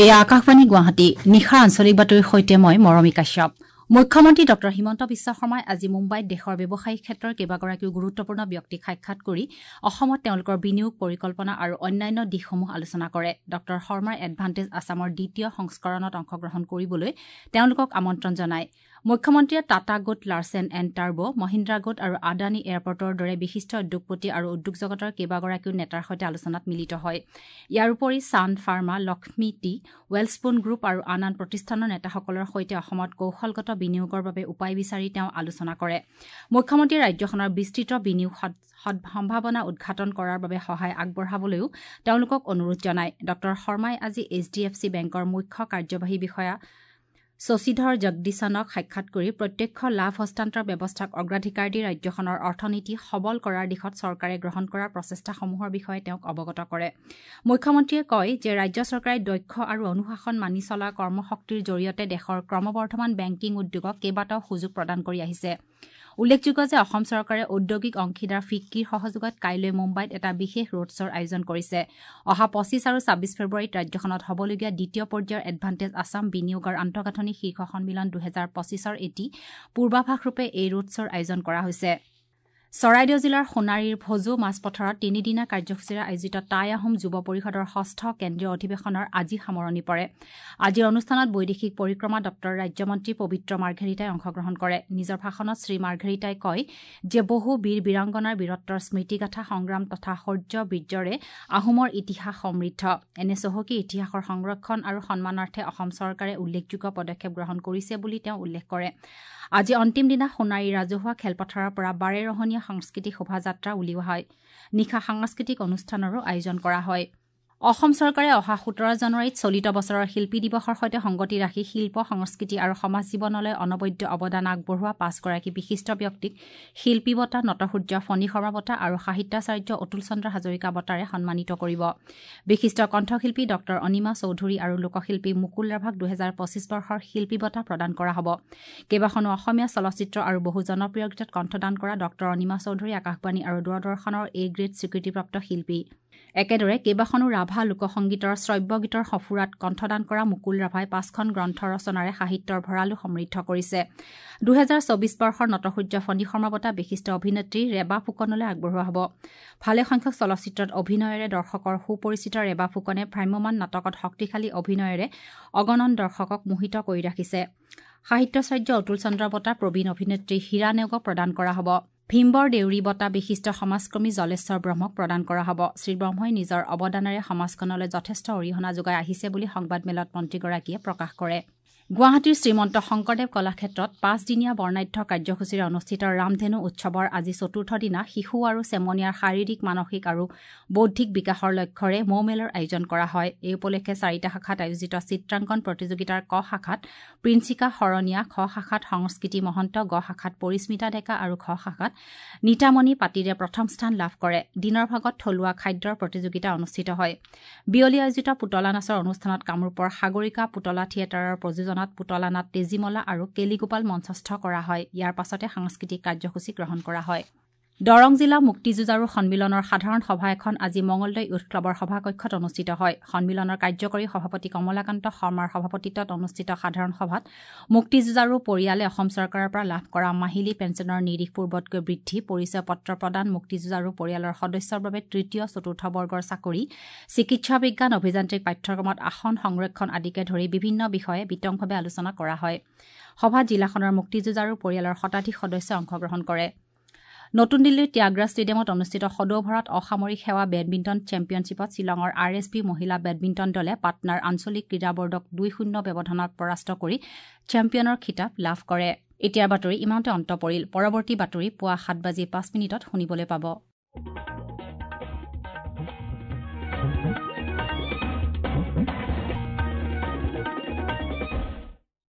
এয়া আকাশবাণী গুৱাহাটী, নিশাৰ আঞ্চলিক বাতৰিৰ সৈতে মই মৰমী কাশ্যপ। মুখ্যমন্ত্ৰী ডঃ হিমন্ত বিশ্ব শৰ্মাই আজি মুম্বাইত দেশৰ ব্যৱসায়িক ক্ষেত্ৰৰ কেইবাগৰাকীও গুৰুত্বপূৰ্ণ ব্যক্তিক সাক্ষাৎ কৰি অসমত তেওঁলোকৰ বিনিয়োগ পৰিকল্পনা আৰু অন্যান্য দিশসমূহ আলোচনা কৰে। ডঃ শৰ্মাই এডভান্টেজ আছামৰ দ্বিতীয় সংস্কৰণত অংশগ্ৰহণ কৰিবলৈ তেওঁলোকক আমন্ত্ৰণ জনায়। মুখ্যমন্ত্ৰীয়ে টাটা গোট, লাৰ্চেন এণ্ড টাৰ্বো, মহিন্দ্ৰা গোট আৰু আদানী এয়াৰপৰ্টৰ দৰে বিশিষ্ট উদ্যোগপতি আৰু উদ্যোগ জগতৰ কেইবাগৰাকীও নেতাৰ সৈতে আলোচনাত মিলিত হয়। ইয়াৰ উপৰি Sun Pharma, Lakshmi tea, Welspun group আৰু আন আন প্ৰতিষ্ঠানৰ নেতাসকলৰ সৈতে অসমত কৌশলগত বিনিয়োগৰ বাবে উপায় বিচাৰি তেওঁ আলোচনা কৰে। মুখ্যমন্ত্ৰীয়ে ৰাজ্যখনৰ বিস্তৃত বিনিয়োগ সম্ভাৱনা উদ্ঘাটন কৰাৰ বাবে সহায় আগবঢ়াবলৈও তেওঁলোকক অনুৰোধ জনায়। ডঃ শৰ্মাই আজি এইচ ডি এফ চি বেংকৰ মুখ্য কাৰ্যবাহী বিষয়া শশীধৰ জগদীশনক সাক্ষাৎ কৰি প্ৰত্যক্ষ লাভ হস্তান্তৰ ব্যৱস্থাক অগ্ৰাধিকাৰ দি ৰাজ্যখনৰ অৰ্থনীতি সবল কৰাৰ দিশত চৰকাৰে গ্ৰহণ কৰা প্ৰচেষ্টাসমূহৰ বিষয়ে তেওঁক অৱগত কৰে। মুখ্যমন্ত্ৰীয়ে কয় যে ৰাজ্য চৰকাৰে দক্ষ আৰু অনুশাসন মানি চলা কৰ্মশক্তিৰ জৰিয়তে দেশৰ ক্ৰমবৰ্ধমান বেংকিং উদ্যোগক কেইবাটাও সুযোগ প্ৰদান কৰি আহিছে। উল্লেখযোগ্য যে অসম চৰকাৰে ঔদ্যোগিক অংশীদাৰ ফিক্কিৰ সহযোগত কাইলৈ মুম্বাইত এটা বিশেষ ৰোড শ্ব'ৰ আয়োজন কৰিছে। অহা 25 আৰু 26 ফেব্ৰুৱাৰীত ৰাজ্যখনত হ'বলগীয়া দ্বিতীয় পৰ্যায়ৰ এডভান্টেজ আছাম বিনিয়োগৰ আন্তঃগাঁথনি শীৰ্ষ সন্মিলন 2025ৰ এটি পূৰ্বাভাসৰূপে এই ৰোড শ্ব'ৰ আয়োজন কৰা হৈছে। চৰাইদেউ জিলাৰ সোণাৰীৰ ভজু মাছপথাৰত তিনিদিনীয়া কাৰ্যসূচীৰে আয়োজিত টাই আহোম যুৱ পৰিষদৰ ষষ্ঠ কেন্দ্ৰীয় অধিৱেশনৰ আজি সামৰণি পৰে। আজিৰ অনুষ্ঠানত বৈদেশিক পৰিক্ৰমা দপ্তৰৰ ৰাজ্যমন্ত্ৰী পবিত্ৰ মাৰ্ঘেৰিটাই অংশগ্ৰহণ কৰে। নিজৰ ভাষণত শ্ৰী মাৰ্ঘেৰিটাই কয় যে বহু বীৰ বীৰাংগনাৰ বীৰত্বৰ স্মৃতিগাথা, সংগ্ৰাম তথা শৌৰ্য বীৰ্যৰে আহোমৰ ইতিহাস সমৃদ্ধ। এনে চহকী ইতিহাসৰ সংৰক্ষণ আৰু সন্মানাৰ্থে অসম চৰকাৰে উল্লেখযোগ্য পদক্ষেপ গ্ৰহণ কৰিছে বুলি তেওঁ উল্লেখ কৰে। আজি অন্তিম দিনা সোণাৰী ৰাজহুৱা খেলপথাৰৰ পৰা বাৰেৰহণীয়া সাংস্কৃতিক শোভাযাত্ৰা উলিওৱা হয়। নিশা সাংস্কৃতিক অনুষ্ঠানৰো আয়োজন কৰা হয়। অসম চৰকাৰে অহা 17 জানুৱাৰীত চলিত বছৰৰ শিল্পী দিৱসৰ সৈতে সংগতি ৰাখি শিল্প, সংস্কৃতি আৰু সমাজ জীৱনলৈ অনবদ্য অৱদান আগবঢ়োৱা 5গৰাকী বিশিষ্ট ব্যক্তিক শিল্পী বঁটা, নটসূৰ্য ফণী শৰ্মা বঁটা আৰু সাহিত্যাচাৰ্য অতুল চন্দ্ৰ হাজৰিকা বঁটাৰে সন্মানিত কৰিব। বিশিষ্ট কণ্ঠশিল্পী ডঃ অনিমা চৌধুৰী আৰু লোকশিল্পী মুকুল ৰাভাক 2025 বৰ্ষৰ শিল্পী বঁটা প্ৰদান কৰা হ'ব। কেইবাখনো অসমীয়া চলচ্চিত্ৰ আৰু বহু জনপ্ৰিয় গীতত কণ্ঠদান কৰা ডঃ অনিমা চৌধুৰী আকাশবাণী আৰু দূৰদৰ্শনৰ এ গ্ৰেড স্বীকৃতিপ্ৰাপ্ত শিল্পী। একেদৰে কেইবাখনো ৰাভা লোকসংগীতৰ শ্ৰব্য গীতৰ সঁফুৰাত কণ্ঠদান কৰা মুকুল ৰাভাই 5খন গ্ৰন্থ ৰচনাৰে সাহিত্যৰ ভঁৰালো সমৃদ্ধ কৰিছে। 2024 বৰ্ষৰ নটসূৰ্য ফণী শৰ্মা বঁটা বিশিষ্ট অভিনেত্ৰী ৰেবা ফুকনলৈ আগবঢ়োৱা হ'ব। ভালেসংখ্যক চলচ্চিত্ৰত অভিনয়েৰে দৰ্শকৰ সুপৰিচিত ৰেবা ফুকনে ভ্ৰাম্যমাণ নাটকত শক্তিশালী অভিনয়েৰে অগণন দৰ্শকক মোহিত কৰি ৰাখিছে। সাহিত্যাচাৰ্য অতুল চন্দ্ৰ বঁটা প্ৰবীণ অভিনেত্ৰী হীৰা নেওগক প্ৰদান কৰা হ'ব। ভীমবৰ দেউৰী বঁটা বিশিষ্ট সমাজকৰ্মী জলেশ্বৰ ব্ৰহ্মক প্ৰদান কৰা হ'ব। শ্ৰীব্ৰহ্মই নিজৰ অৱদানেৰে সমাজখনলৈ যথেষ্ট অৰিহণা যোগাই আহিছে বুলি সংবাদমেলত মন্ত্ৰীগৰাকীয়ে প্ৰকাশ কৰে। গুৱাহাটীৰ শ্ৰীমন্ত শংকৰদেৱ কলাক্ষেত্ৰত 5দিনীয়া বৰ্ণাঢ্য কাৰ্যসূচীৰে অনুষ্ঠিত ৰামধেনু উৎসৱৰ আজি চতুৰ্থ দিনা শিশু আৰু চেমনীয়াৰ শাৰীৰিক, মানসিক আৰু বৌদ্ধিক বিকাশৰ লক্ষ্যৰে মৌমেলৰ আয়োজন কৰা হয়। এই উপলক্ষে 4টা শাখাত আয়োজিত চিত্ৰাংকন প্ৰতিযোগিতাৰ ক শাখাত প্ৰিন্সিকা শৰণীয়া, খ শাখাত সংস্কৃতি মহন্ত, গ শাখাত পৰিস্মিতা ডেকা আৰু খ শাখাত নীতামণি পাতিৰে প্ৰথম স্থান লাভ কৰে। দিনৰ ভাগত থলুৱা খাদ্যৰ প্ৰতিযোগিতা অনুষ্ঠিত হয়। বিয়লি আয়োজিত পুতলা নাচৰ অনুষ্ঠানত কামৰূপৰ সাগৰিকা পুতলা থিয়েটাৰৰ প্ৰযোজনাত পুতলা নাট তেজীমলা আৰু কেলিগোপাল মঞ্চস্থ কৰা হয়। ইয়াৰ পাছতে সাংস্কৃতিক কাৰ্যসূচী গ্ৰহণ কৰা হয়। দৰং জিলা মুক্তিযুঁজাৰু সন্মিলনৰ সাধাৰণ সভা এখন আজি মঙলদৈ য়ুথ ক্লাবৰ সভাকক্ষত অনুষ্ঠিত হয়। সন্মিলনৰ কাৰ্যকৰী সভাপতি কমলাকান্ত শৰ্মাৰ সভাপতিত্বত অনুষ্ঠিত সাধাৰণ সভাত মুক্তিযুঁজাৰু পৰিয়ালে অসম চৰকাৰৰ পৰা লাভ কৰা মাহিলী পেঞ্চনৰ নিৰিখ পূৰ্বতকৈ বৃদ্ধি, পৰিচয় পত্ৰ প্ৰদান, মুক্তিযুঁজাৰু পৰিয়ালৰ সদস্যৰ বাবে তৃতীয়, চতুৰ্থ বৰ্গৰ চাকৰি, চিকিৎসা বিজ্ঞান, অভিযান্ত্ৰিক পাঠ্যক্ৰমত আসন সংৰক্ষণ আদিকে ধৰি বিভিন্ন বিষয়ে বিতংভাৱে আলোচনা কৰা হয়। সভাত জিলাখনৰ মুক্তিযুঁজাৰু পৰিয়ালৰ শতাধিক সদস্যই অংশগ্ৰহণ কৰে। নতুন দিল্লীৰ ত্যাগৰাজ ষ্টেডিয়ামত অনুষ্ঠিত সদৌ ভাৰত অসামৰিক সেৱা বেডমিণ্টন চেম্পিয়নশ্বিপত শ্বিলঙৰ আৰ এছ বি মহিলা বেডমিণ্টন দলে পাটনাৰ আঞ্চলিক ক্ৰীড়া বৰ্ডক 2-0 ব্যৱধানত পৰাস্ত কৰি চেম্পিয়নৰ খিতাপ লাভ কৰে। এতিয়াৰ বাতৰি ইমানতে অন্ত পৰিল। পৰৱৰ্তী বাতৰি পুৱা 7:05 শুনিবলৈ পাব।